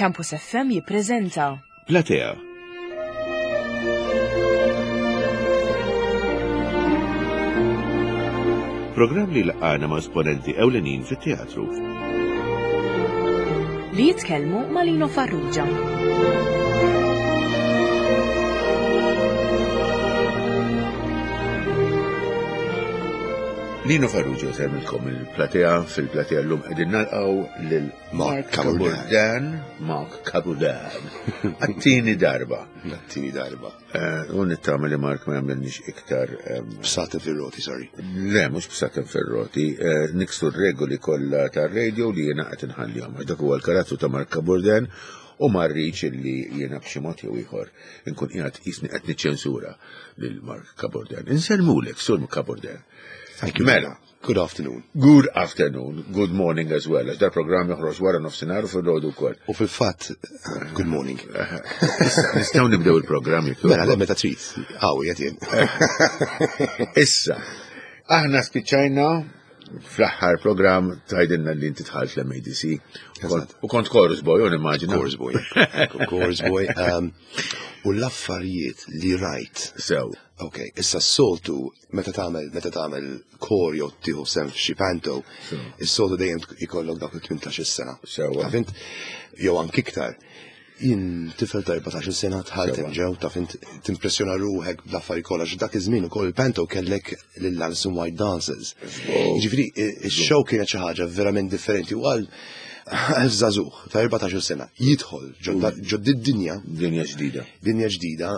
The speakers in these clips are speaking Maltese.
Campus FM jippreżenta Platea. Programm li laqana ma' esponenti ewlenin fit-teatru. Li jitkellmu ma' Lino Farrugia. Lino Farrugia semmilkom il-platea, fil-platea l-lum qegħdin nalqgħu lil Mark Caburdan, Mark Caburdan. Għattini darba. Għattini darba. Eh, u nittama li Mark ma jagħmilniex iktar. Bsaten fir-roti, sorry. Le, mhux bsaten fir-roti, eh, niksu r-regoli kollha tar-radio li jiena qed inħallihom. Dak huwa l-karattru ta' Mark Caburdan u ma rridx li jiena b'xi mod jew ieħor inkun qiegħed qisni qed niċċensura lil Mark Caburdan. Insellmulek, Sur Caburdan. Thank you. Mela. Good afternoon. Good afternoon, good morning as well. Għax dal-programm joħroġ wara nofsinhar u fil-ħodu wkoll. U fil-fatt, good morning. Issa, nistgħu nibdew il-programm jekk Mela, le meta trid. Għaw, jgħid jien. Issa, aħna spiċċajna fl-aħħar programm tgħidilna li inti dħalt l-MADC. U kont chorus boy, u nimmaġina. Chorus boy. Chorus boy. Um, u l-affarijiet li rajt. Sew. Ok, issa s-soltu meta tagħmel meta tagħmel kor jew tieħu sehem f'xi panto, is-soltu dejjem ikollok dawk il-18 sena. Sewwa. Taf int jew anki iktar. Jien tifel ta' 14 sena dħalt hemm ġew taf int timpressjona ruħek bl-affarijiet kollha għax dak iż-żmien ukoll il-panto kellek lil Alison White Dancers. Jiġifieri ix-show kienet xi ħaġa verament differenti u għal għal żagħżugħ ta' 14 sena jidħol ġo dinja Dinja ġdida. dinja ġdida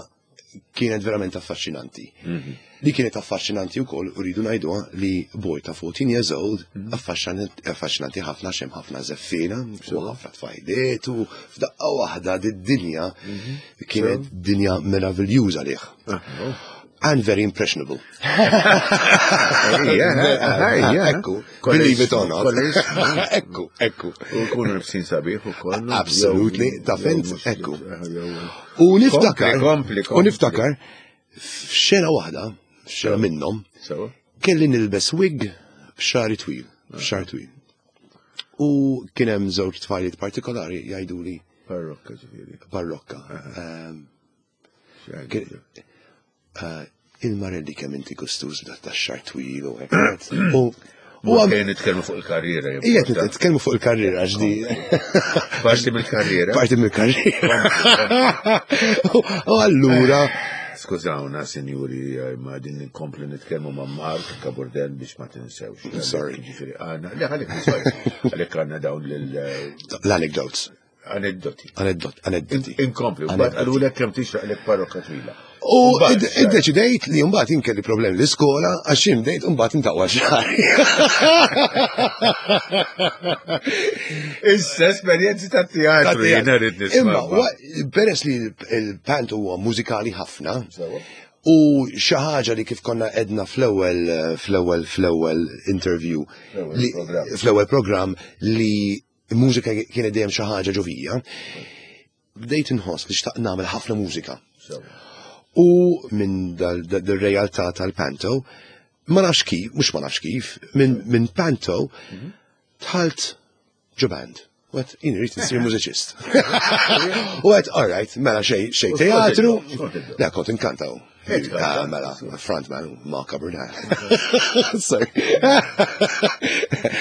kienet verament affaxxinanti. Mhm. Li kienet affaxxinanti wkoll u rridu ngħiduha li boy ta' 14 years old mhm. affaxxinanti ħafna xem ħafna żeffina u ħafna tfajliet u f'daqqa waħda did-dinja mhm. kienet dinja meraviljuża lih. Ah, oh. And very impressionable. Ekku, believe it or not. Ekku, ekku. U kunu nifsin sabiħ u kollu. Absolutely, ta' fint, ekku. U niftakar, u niftakar, f'xena waħda, f'xena minnhom, kelli nilbes wig b'xari twil, b'xar twil. U kien hemm żewġ tfajliet partikolari jgħiduli. Parrokka ġifieri. Parrokka. Ehm, eh, Il-Marelli kemm inti gustuż b'dak tax-xar twil u hekk. U U għam nitkellmu fuq il-karriera. Ija, nitkellmu fuq il-karriera, ġdi. Parti mill-karriera. Parti mill-karriera. U allura. Skużawna, sinjuri, ma din nkomplu nitkellmu ma' Mark Kaburdel biex ma tinsewx. Sorry. Ġifieri għandna, le għalik, sorry. Għalik għandna dawn l-anecdotes. Aneddoti. Aneddot, aneddoti. Inkompli, mbagħad qalulek kemm tixraq lek parrokka twila. U iddeċidejt li mbagħad inkelli problemi l-iskola għax jien bdejt mbagħad intaqwa xahar. Issa esperjenzi ta' teatru jiena rrid nisma'. Imma peress li l-pant huwa mużikali ħafna, U xi ħaġa li kif konna edna fl-ewwel fl-ewwel fl-ewwel interview fl-ewwel programm li Il-mużika kienet dejjem xi ħaġa ġo fija. Bdejt inħoss li xtaqt nagħmel ħafna mużika. U minn dal-realtà tal-panto, ma nafx kif, mhux ma nafx kif, minn panto mhm. tħalt ġo band. U għet, jien rrit nsir mużiċist. U għet, all right, mela xej, xej teatru. Le, kont inkantaw. Ah, mela, frontman, Mark Abernat. Sorry.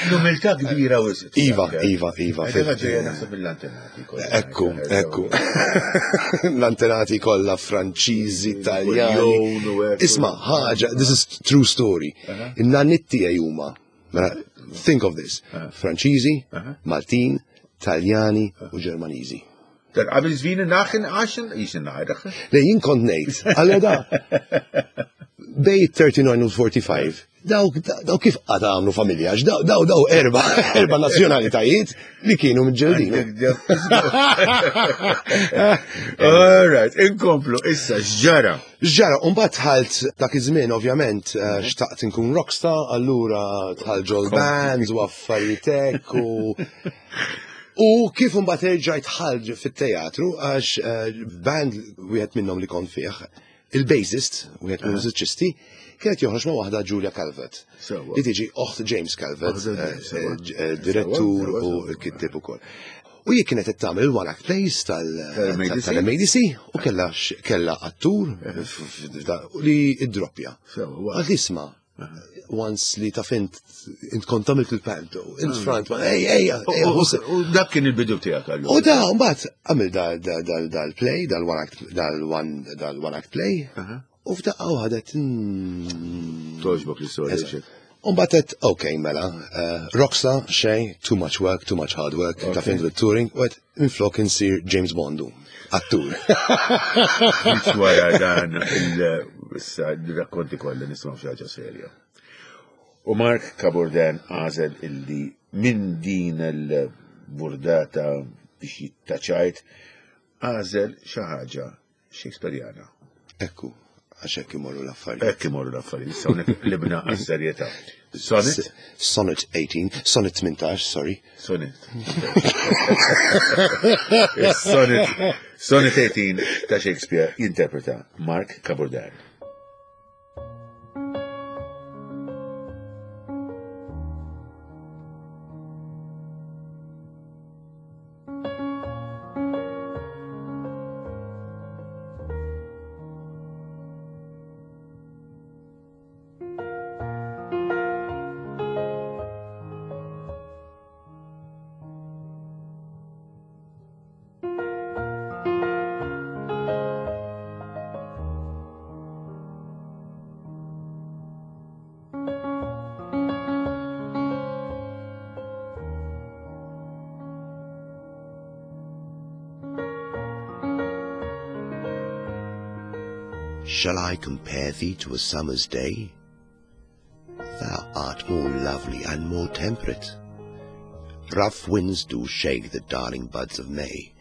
L-umiltà kbira u Iva, Iva, Iva. Ekku, ekku. L-antenati kollha Franċiżi, Italjani. Isma, ħaġa, this is true story. In-nannit tiegħi huma, mela, think of this, Franċiżi, Maltin, Taljani u Ġermaniżi. Qabel żvini naħin għaxin jixin naħin. Le jien kont ngħid, għallu da. Bej 39 u 45, daw daw kif qata għamlu familja, daw daw daw erba erba nazzjonalitajiet li kienu mġeldin. All right, inkomplu issa x'ġara. X'ġara, u mbagħad dħalt dak iż-żmien ovvjament eh, xtaqt inkun rockstar, allura dħalt ġol bands u affarijiet hekk u U kif imbagħad erġajt ħalġ fit-teatru għax eh, band wieħed minnhom li kont fih, il-bassist, wieħed minn mużiċisti, kienet joħroġ ma' waħda Julia Calvert. Li tiġi oħt James Calvert, eh, eh, direttur u l-kittib ukoll. U jien kienet qed tagħmel il-one act plays tal-MADC u kella kella attur li id-droppja. Għad isma' once li taf int int kont għamilt il-panto, int front, ej, ej, ej, U dak kien il-bidu tiegħek allura. U da, mbagħad għamil dal-play, dal-one act play, u f'daqqa waħda Toġbok l-istorja. Umbatet, ok, mela, eh, Rockstar, xej, too much work, too much hard work, ta' fin touring, u għet minflok insir James Bondu, attur. Biex wara dan il-rakkonti kollha nisma' xi ħaġa serja. U Mark Cabourdin għażel illi minn din il-burdata biex jittaċajt għażel xi ħaġa Shakespeareana. Ekku, għax hekk imorru l-affarijiet. Hekk imorru l-affarijiet, issa hawnhekk qlibna għas-serjetà. Sonnet? Sonnet 18, sonnet 18, sorry. Sonnet. Sonnet, sonnet 18 ta' Shakespeare jinterpreta Mark Cabourdin. Shall I compare thee to a summer's day? Thou art more lovely and more temperate. Rough winds do shake the darling buds of May,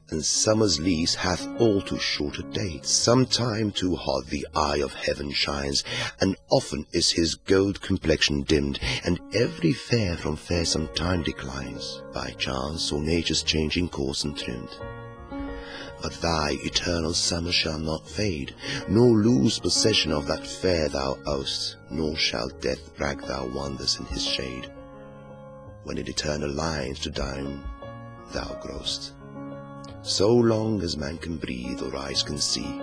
and summer's lease hath all too short a date. Sometime too hot the eye of heaven shines, and often is his gold complexion dimmed, and every fair from fair some time declines, by chance or nature's changing course and trimmed. But thy eternal summer shall not fade, nor lose possession of that fair thou owest, nor shall death brag thou wanders in his shade, when in eternal lines to dine thou growest. So long as man can breathe or eyes can see,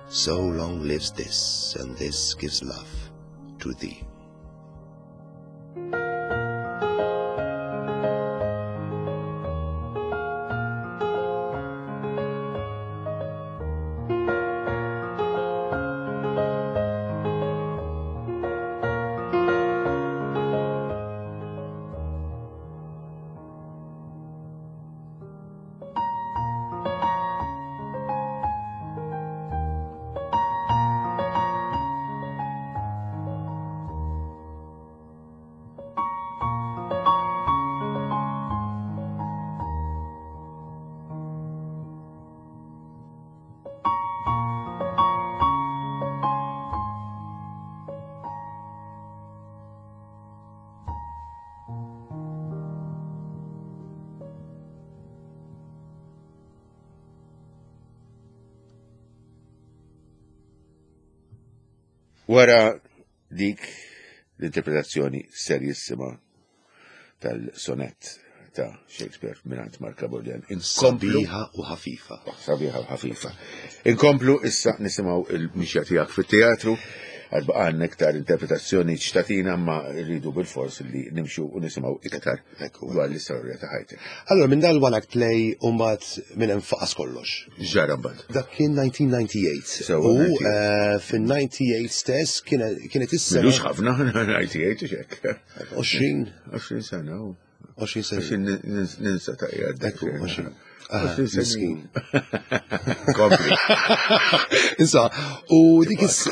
so long lives this, and this gives love to thee. Wara dik l-interpretazzjoni serjissima tal-sonett ta' Shakespeare mingħand Mark Bordian. Sabiħa u ħafifa. Oh, sabiħa u ħafifa. Inkomplu issa nisimgħu il-mixja tiegħek fit-teatru għad baqgħanna iktar interpretazzjoni ċtatina ma rridu bil-fors li nimxu u nisimgħu iktar dwar l-istorja ta' ħajtek. Allora minn dal one act play u mbagħad minn hemm faqas kollox. Ġara mbagħad. Dak kien 1998. U eh, fin-98 stess kienet issa. Milux ħafna 98 xek. 20. 20 sena. 20 sena. Ninsa ta' jgħad. Ekku, 20. Ah, miskin. Kompli. Insa, u dik is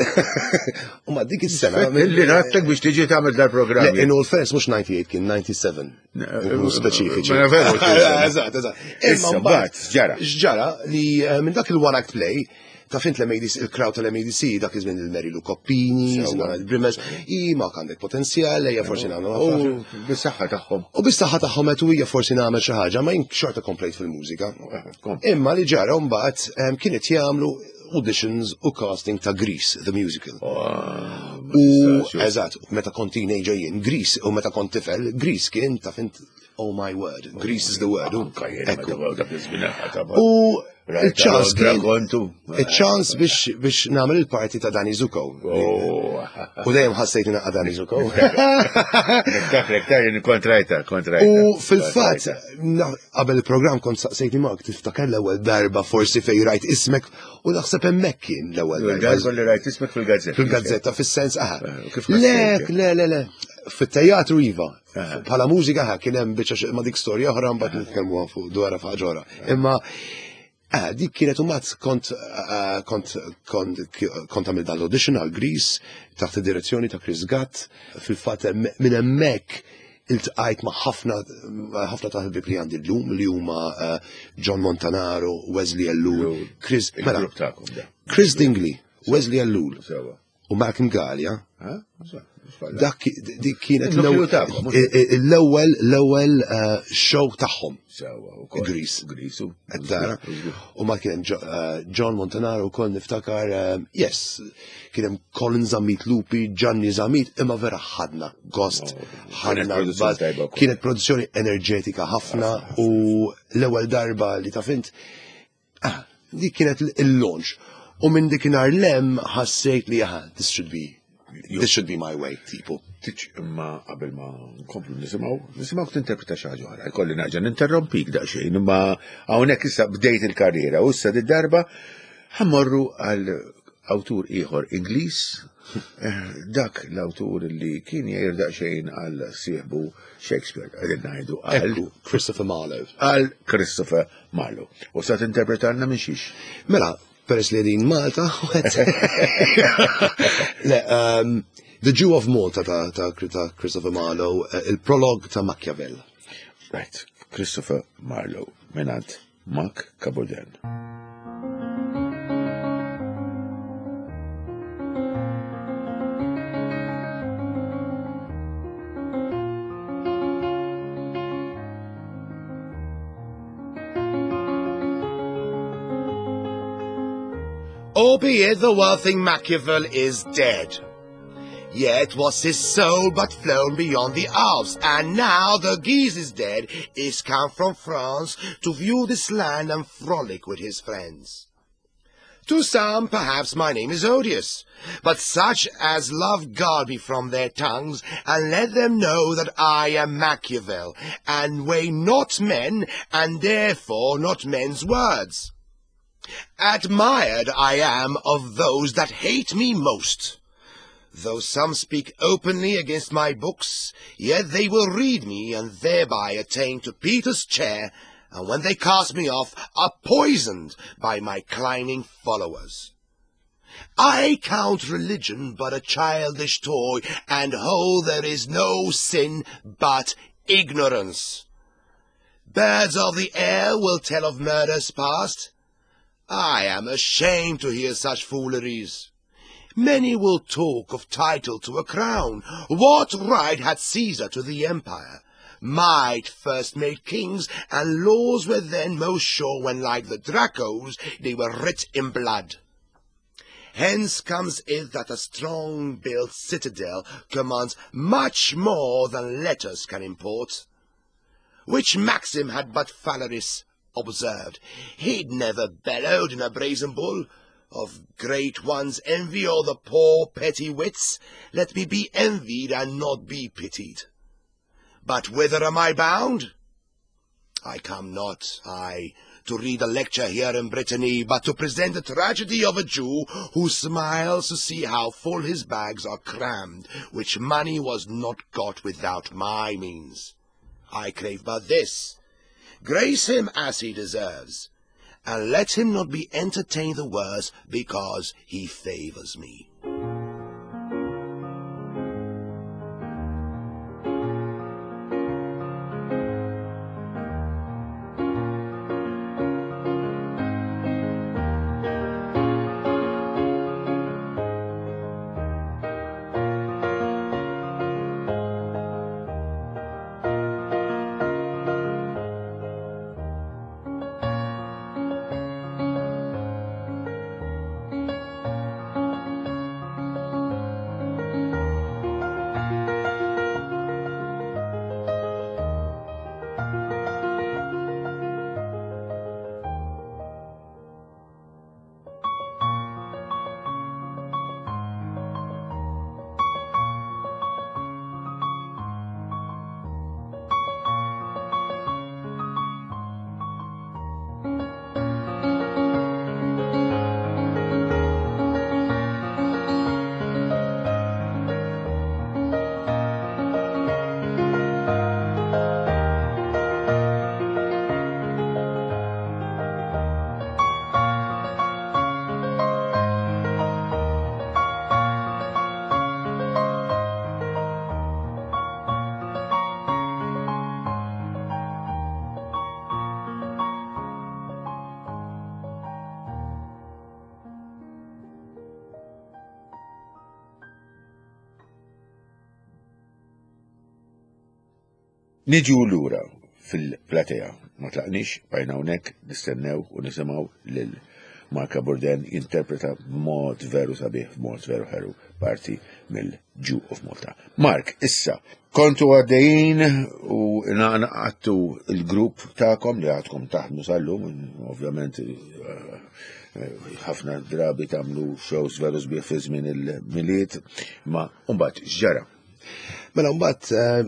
U ma dik is-sena. Illi rattek biex tiġi tagħmel dal-programm. In all fairness mhux 98 kien 97. Nkunu speċifiċi. Ma veru. Eżatt, eżatt. Imma mbagħad ġara. X'ġara li eh, minn dak il-one act play ta' fint l-MADC, il-crowd tal-MADC, dak iż-żmien il-Mary Lou Coppini, il-Brimmers, i ma għandek potenzjal, ejja forsi nagħmlu. U bis-saħħa tagħhom. U bis-saħħa tagħhom qed hija forsi nagħmel xi ħaġa, ma jien xorta komplejt fil-mużika. Eh, Imma li ġara mbagħad eh, kienet jagħmlu auditions u casting ta' Grease, the musical. Oh, u eżatt, meta kont teenager jien, Grease, u meta kont tifel, Grease kien ta' fint Oh my word, Grease is the word. U il-ċans il-ċans biex biex nagħmel il-parti ta' Dani Zuko. Oh. U dejjem ħassejt naqqa Dani Zuko. Niftakrek ta' jien kontrajta, kontrajta. U fil-fatt qabel il-programm kont saqsejtni Mark tiftakar l-ewwel darba forsi fejn rajt ismek u naħseb hemmhekk kien l-ewwel darba. li rajt ismek fil-gazzetta. Fil-gazzetta fis-sens aha. Eh, le, le, le, le. Fit-teatru iva. Bħala mużika ħa kien hemm biċċa ma dik storja oħra mbagħad nitkellmu fuq dwarha f'ħaġa oħra. Imma eh, dik kienet u mat kont eh, kont kont kont għamil dan l-audition għal Grease taħt id-direzzjoni ta' Chris Gatt. Fil-fatt minn hemmhekk iltqajt ma' ħafna ħafna ta' ħbieb li għandi llum li huma eh, John Montanaro, Wesley Ellul, Chris mela, Chris Dingley, Wesley Ellul. U Malcolm Gallia. Dak dik kienet l-ewwel l-ewwel eh, show tagħhom. Grease. Grease. Tara. U ma kien eh, John Montanaro wkoll niftakar, eh, yes, kien hemm Colin Zammit Lupi, Gianni Zammit, imma vera ħadna gost, oh, ħadna kienet produzzjoni enerġetika ħafna u l-ewwel darba li taf int Ah, dik kienet il-launch. U minn dikinhar lem ħassejt li aha, this should be this should be my way, tipo. Tiċ imma qabel ma nkomplu nisimgħu, nisimgħu tinterpreta xi ħaġa oħra. Jkolli nerġa' ninterrompik daqsxejn, imma hawnhekk issa bdejt il-karriera u issa darba ħammorru għal awtur ieħor Ingliż, eh, dak l-awtur li kien jgħir daqsxejn għal sieħbu Shakespeare, qegħdin ngħidu għal Christopher Marlowe. Għal Christopher Marlowe. U sa tinterpretalna minn xiex? Mela, peress li din Malta, le, um, The Jew of Malta ta', ta, ta Christopher Marlowe, eh, il-prolog ta' Machiavelli. Right, Christopher Marlowe, minant Mark Cabodan. Albeit the wealthy Machiavel is dead. Yet was his soul but flown beyond the Alps, and now the Guise is dead, is come from France to view this land and frolic with his friends. To some, perhaps, my name is odious, but such as love God be from their tongues, and let them know that I am Machiavel, and weigh not men, and therefore not men's words. Admired I am of those that hate me most. Though some speak openly against my books, yet they will read me, and thereby attain to Peter's chair, and when they cast me off, are poisoned by my climbing followers. I count religion but a childish toy, and hold there is no sin but ignorance. Birds of the air will tell of murders past. I am ashamed to hear such fooleries. Many will talk of title to a crown. What right had Caesar to the empire? Might first made kings, and laws were then most sure when, like the Dracos, they were writ in blood. Hence comes it that a strong-built citadel commands much more than letters can import. Which maxim had but Phalaris observed, he'd never bellowed in a brazen bull. Of great ones envy or the poor petty wits, let me be envied and not be pitied. But whither am I bound? I come not, I, to read a lecture here in Brittany, but to present the tragedy of a Jew who smiles to see how full his bags are crammed, which money was not got without my means. I crave but this, grace him as he deserves, and let him not be entertained the worse because he favours me. Niġu lura fil-platea, ma tlaqniex, bqajna hawnhekk nistennew u nisimgħu lil Marka Burden jinterpreta b'mod veru sabiħ, b'mod veru ħelu parti mill-Jew of Malta. Mark, issa, kontu għaddejjin u naqattu il-grupp tagħkom li għadkom taħdmu sal-lum, ovvjament eh, ħafna drabi tagħmlu shows veru sbieħ fi żmien il-miliet, ma mbagħad x'ġara? Mela mbagħad eh,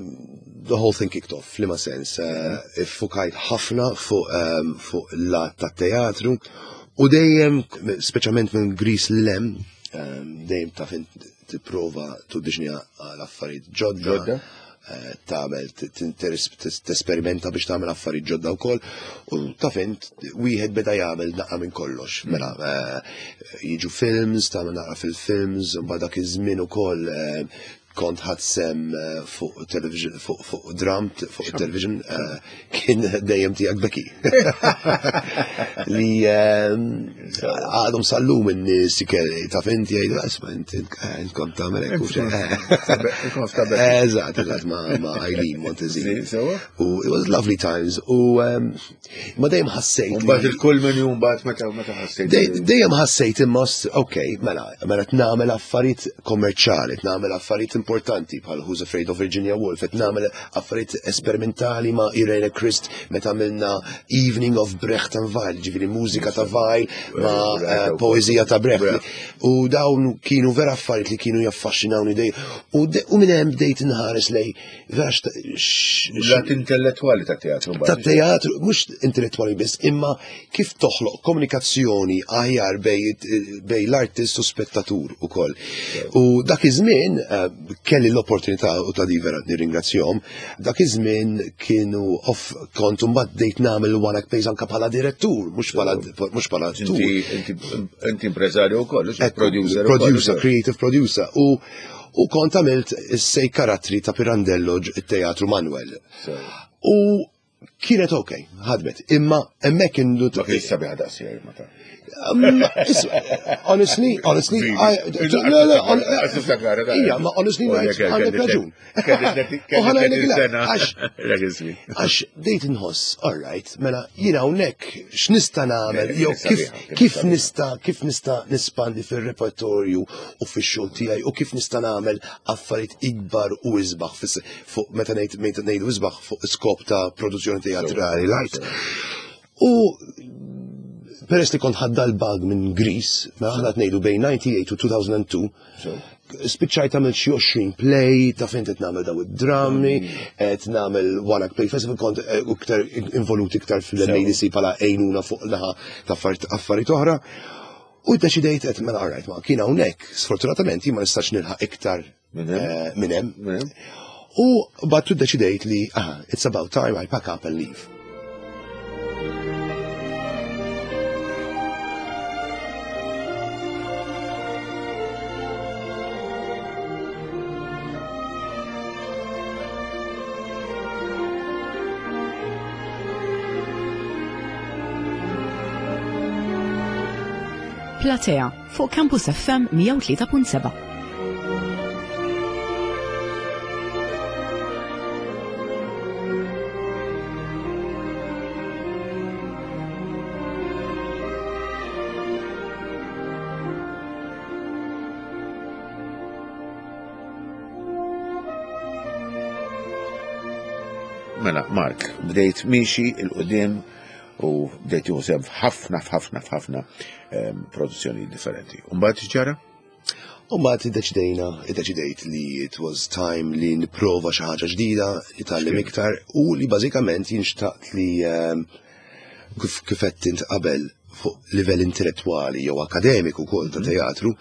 the whole thing kicked off, f'liema sens, eh, iffukajt ħafna fuq eh, fuq l-lat tat-teatru u dejjem, speċjalment minn Grease l-lem, dejjem taf tipprova tuddiġni għal affarijiet ġodda. Tagħmel tesperimenta biex tagħmel affarijiet ġodda wkoll u taf int wieħed beda jagħmel naqra minn kollox. Mela jiġu films, tagħmel naqra fil-films, u dak iż-żmien ukoll kont ħadt sem eh, fuq television, fuq fuq dram, fuq television, eh, kien dejjem tiegħek Becky. Li eh, għadhom sal-lum in-nies taf inti jgħidu isma' inti kont tagħmel hekk u Eżatt, eżatt ma' Eileen Montezin. U it was lovely times. U Ma dejjem ħassejt. Mbagħad il-kull minn jum mbagħad meta meta ħassejt. Dejjem ħassejt imma ok, mela, mela nagħmel affarijiet kommerċjali, nagħmel affarijiet importanti bħal Who's Afraid of Virginia Woolf, qed nagħmel affarijiet esperimentali ma' Irene Christ meta għamilna Evening of Brecht and Weil, ġifieri mużika ta' Weil ma' eh, poeżija ta' Brecht. U dawn kienu vera affarijiet li kienu jaffaxxinawni dejjem. U minn hemm bdejt inħares lej Lat intellettuali ta' teatru. Ta' teatru, mhux intellettuali biss, imma kif toħloq komunikazzjoni aħjar bej l-artist u spettatur ukoll. U dak iż-żmien eh, kelli l-opportunità u ta' di vera nirringrazzjahom, dak iż-żmien kienu off kont mbagħad bdejt nagħmel one act plays anke bħala direttur, mhux bħala mhux bħala attur. Inti impreżarju wkoll, producer. Producer, creative producer. U U kont għamilt is-sej karattri ta' Pirandello it-Teatru Manuel. U kienet ok, ħadmet. Imma hemmhekk indu. Ma kienx sabiħa daqsxejn ma ta' Honestly, honestly, Ija, ma honestly, għandek raġun. Għax dejt nħoss, all right, mela jina hawnhekk x'nista' nagħmel, jew kif nista' kif nista' nispandi fir-repertorju u fix-xogħol tiegħi u kif nista' nagħmel affarijiet ikbar u isbaħ fuq meta ngħid meta ngħidu isbaħ fuq skop ta' produzzjoni teatrali light. U peress li kont ħadda l-bag minn Greece, mela aħna ngħidu bejn 98 u 2002, spiċċajt għamil xi 20 play, ta' fejn qed nagħmel daw id-drammi, qed nagħmel One Act Play Festival, kont eh, iktar involut iktar fil-MADC bħala għejnuna fuq naħa ta' affarijiet oħra. U ddeċidejt qed mela alright ma kien hawnhekk, sfortunatament jien ma nistax nilħaq iktar eh, minn hemm. U battu ddeċidejt li ah, it's about time I pack up and leave. Platea fuq Campus FM 103.7. Mela, Mark, bdejt miexi il-qudiem u bdejt tieħu sehem f'ħafna f'ħafna f'ħafna ehm, produzzjoni differenti. U mbagħad x'ġara? U mbagħad iddeċidejna, iddeċidejt li it was time li nipprova xi ħaġa ġdida, nitgħallem iktar u li bażikament jien xtaqt li ehm, kif kif qed int qabel fuq livell intellettwali jew akademiku wkoll ta' mhm. teatru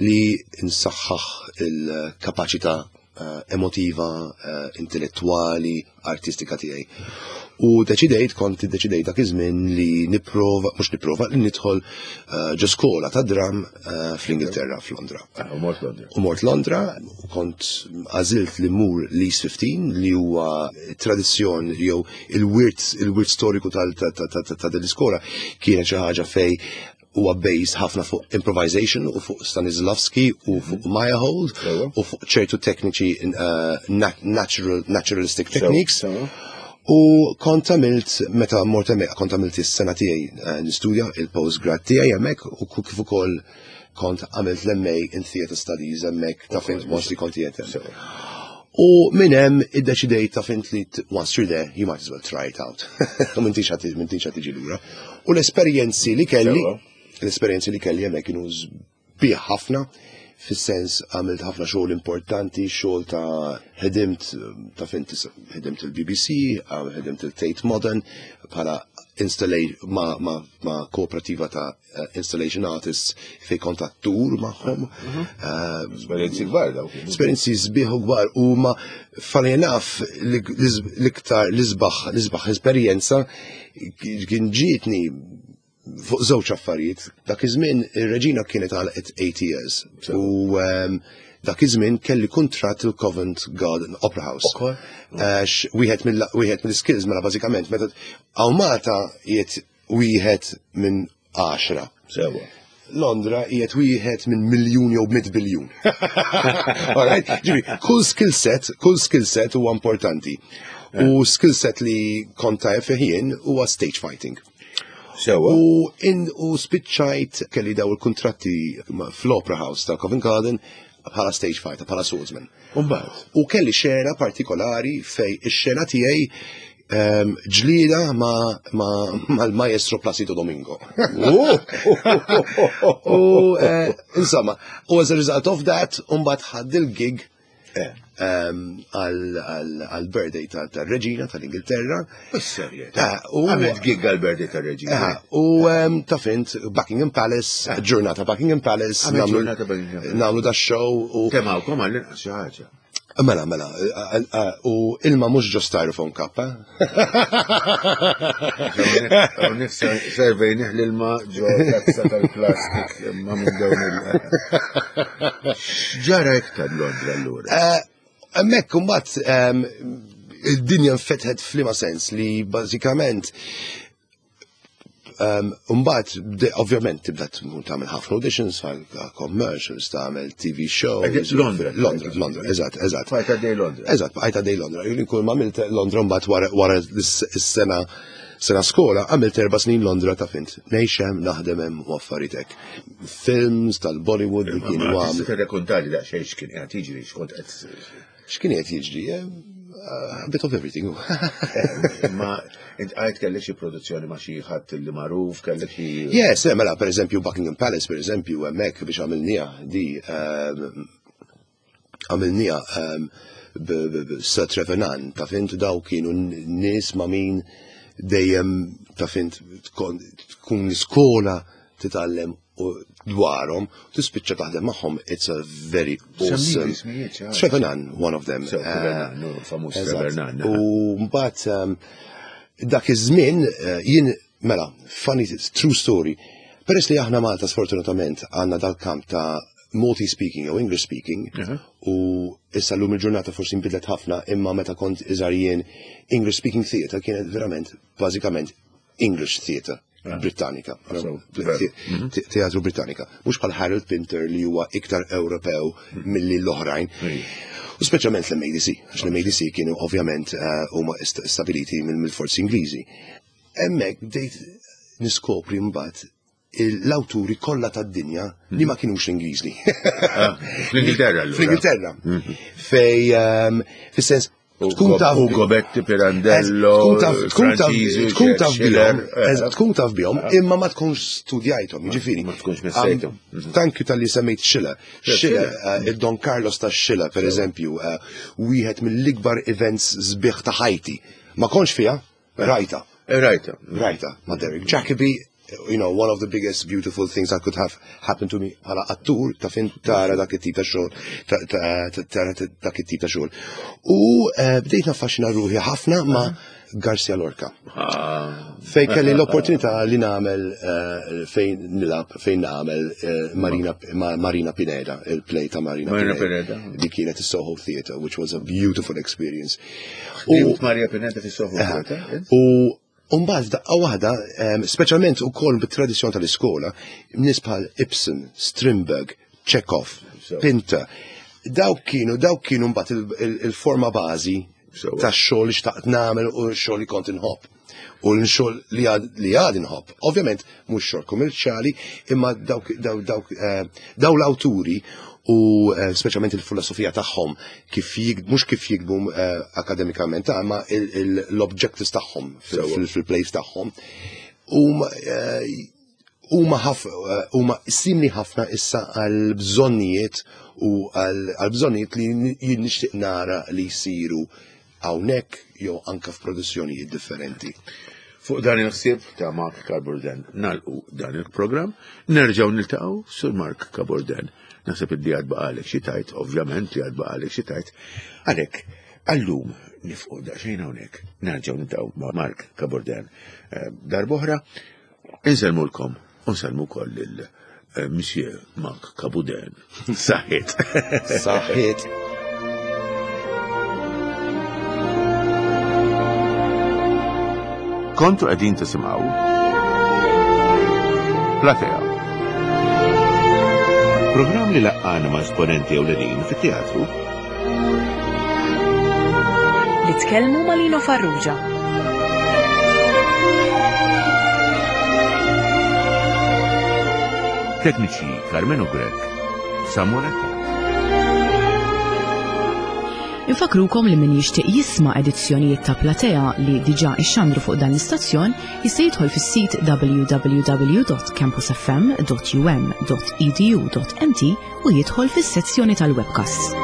li nsaħħaħ il-kapaċità eh, emotiva, eh, intellettuali, artistika tiegħi. U deċidejt, kont deċidejt dak iż-żmien li nipprova, mhux nipprova, li nidħol eh, ġo skola ta' dram fl-Ingilterra, f'Londra. Ah, u mort Londra. U mort Londra, kont għażilt li mur l-East 15 li huwa tradizzjon jew il-wirt il-wirt storiku ta' din l-iskola kienet xi ħaġa fej huwa based ħafna fuq improvisation u fuq Stanislavski u fuq Meyerhold u fuq ċertu tekniċi natural, naturalistic techniques. U kont għamilt, meta mort hemmhekk, kont għamilt is-sena tiegħi eh, nistudja il-postgrad tiegħi hemmhekk u kif ukoll kont għamilt l-MA in Theatre Studies hemmhekk ta' fejn mostly kont qiegħed U minn hemm iddeċidejt ta' fint li once you're there, you might as well try it out. U m'intix ħa tiġi lura. U l-esperjenzi li kelli, l-esperjenzi li kelli hemmhekk kienu sbieħ ħafna, fis-sens għamilt ħafna xogħol importanti, xogħol ta' ħedimt ta' fint ħedimt il-BBC, ħedimt il-Tate Modern bħala ma, ma, ma kooperativa ta' installation artists fej kont attur magħhom. Mhm. Esperjenzi kbar dawk. Esperjenzi sbieħ u kbar u ma funny enough l-iktar l-isbaħ l-isbaħ esperjenza kien ġietni fuq żewġ affarijiet. Dak iż-żmien ir-reġina kienet għalqet 8 years. U dak iż-żmien kelli kuntratt il-Covent Garden Opera House. Għax wieħed mill-skills mela bażikament meta hawn Malta qiegħed wieħed minn 10. Sewa. Londra qiegħed wieħed minn miljun jew 100 biljun. Alright? Ġifieri, kull skill set, kull skill set huwa importanti. U skill set li kont tajjeb fih jien huwa stage fighting. Sewa. U in u spiċċajt kelli daw il-kontratti fl-Opera House ta' Covent Garden bħala stage fighter, bħala swordsman. Umbagħad. U kelli xena partikolari fej ix-xena tiegħi ġlida ma mal-maestro Placido Domingo. U insomma, u as a result of that, umbagħad ħadd il-gig għal-birthday tal-reġina tal-Ingilterra. Bis-serjetà. Għamilt gig għal-birthday tal-reġina. U ta' fint Buckingham Palace, ġurnata Buckingham Palace, nagħmlu da show. Kemm hawnkom għall-inqas xi ħaġa. Mela, mela, u ilma mhux ġo styrofoam cup, eh? Hawnhekk servejnih l-ilma ġo tazza tal-plastik imma minn dawn il- Ġara iktar Londra allura. Hemmhekk imbagħad id-dinja nfetħet f'liema sens li bażikament Mbagħad ovvjament tibda tagħmel ħafna auditions għal commercials, tagħmel TV shows. Londra. Londra, Londra, eżatt, eżatt. Bqajt għaddej Londra. Eżatt, bqajt għaddej Londra. Jien kull ma għamilt Londra mbagħad wara s-sena sena skola għamilt 4 snin Londra ta' fint. Ngħix hemm, naħdem hemm u affarijiet hekk. Films tal-Bollywood li kienu għamlu. Tista' tirrakkontali daqsxejn x'kien qiegħed jiġri, x'kont qed X'kien qed jiġri? A bit of everything. Ma int għajt kellek xi produzzjoni ma xi ħadd li magħruf, kellek xi. Yes, mela pereżempju Buckingham Palace pereżempju hemmhekk biex għamilniha di għamilniha Sir Trevor Nunn, ta' fint daw kienu nies ma' min dejjem ta' fint tkun l-iskola titgħallem u dwarhom, tispiċċa taħdem magħhom, it's a very awesome. Trevor Nunn, one of them. Trevor Nunn, famuż Trevor Nunn. U mbagħad dak iż-żmien jien mela, funny true story. Peress li aħna Malta sfortunatament għandna dal-kamp ta' Maltese speaking jew English speaking u issa llum il-ġurnata forsi nbidlet ħafna imma meta kont iżgħar jien English speaking theatre kienet verament bażikament English theatre. Britannika, teatru Britannika. Mhux bħal Harold Pinter li huwa iktar Ewropew milli l-oħrajn. U speċjalment l-MADC, għax l-MADC kienu ovvjament huma stabiliti mill-forzi Ingliżi. Hemmhekk bdejt niskopri mbagħad l-awturi kollha tad-dinja li ma kienux Ingliżi. Fl-Ingilterra. Fl-Ingilterra. Fej, fis-sens, tkun taf Ugo Betti, Pirandello, tkun taf tkun taf bihom, tkun taf bihom, imma ma tkunx studjajthom, jiġifieri. Ma tkunx missejthom. Thank you talli semmejt Schiller. Schiller, il-Don Carlos ta' Schiller, per eżempju, wieħed mill-ikbar events sbieħ ta' ħajti. Ma kontx fiha, rajta. Rajta. Rajta, ma' Derek Jacobi, one of the biggest beautiful things that could have happened to me bħala attur ta' fin tara dak it-tip ta' xogħol, tara dak it-tip ta' xogħol. U bdejt naffaxxina ruħi ħafna ma' Garcia Lorca. Fejn kelli l-opportunità li nagħmel fejn nilgħab, fejn nagħmel Marina Pineda, il-play ta' Marina Pineda. Di kienet is-Soho Theatre, which was a beautiful experience. U Maria Pineda fis-Soho Theatre? U U mbagħad f'daqqa waħda, speċjalment ukoll bit-tradizzjoni tal-iskola, nies bħal Ibsen, Strindberg, Chekhov, Pinter, dawk kienu dawk kienu mbagħad il-forma bażi tax-xogħol li xtaqt nagħmel u x-xogħol li kont inħobb. U l-xogħol li għad inħobb. Ovvjament mhux xogħol kummerċjali, imma dawk dawk eh, daw l-awturi u eh, speċjalment il-filosofija tagħhom kif mhux kif jikbu eh, akademikament, imma l-objectives tagħhom fil-plays tagħhom. Huma huma simili ħafna issa għal bżonnijiet u għal bżonnijiet li jien nixtieq nara li jsiru hawnhekk jew anke f'produzzjonijiet differenti. Fuq dan il-ħsieb ta' Mark Cabourdin nagħlqu dan il-programm, nerġgħu niltaqgħu sur Mark Cabourdin. Naħseb li għad baqalek xi tajt, ovvjament li għad baqalek xi tajt. Għalhekk, għallum nifqu daqsxejn hawnhekk, nerġgħu niltaqgħu ma' Mark Cabourdin eh, darb'oħra. Insellmulkom u nsellmu wkoll lil eh, Monsieur Mark Cabourdin. Saħħit. Saħħit. Kontu qegħdin tisimgħu Platea. Programm li laqqana ma' esponenti ewlenin fit-teatru. Li tkellmu ma' Lino Farrugia. Tekniċi Carmenu Grech, Samuel Attard. Infakrukom li min jixtieq jisma' edizzjonijiet ta' Platea li diġà ixxandru fuq dan l-istazzjon jista' jidħol fis-sit www.campusfm.um.edu.mt u jidħol fis-sezzjoni tal-webcasts.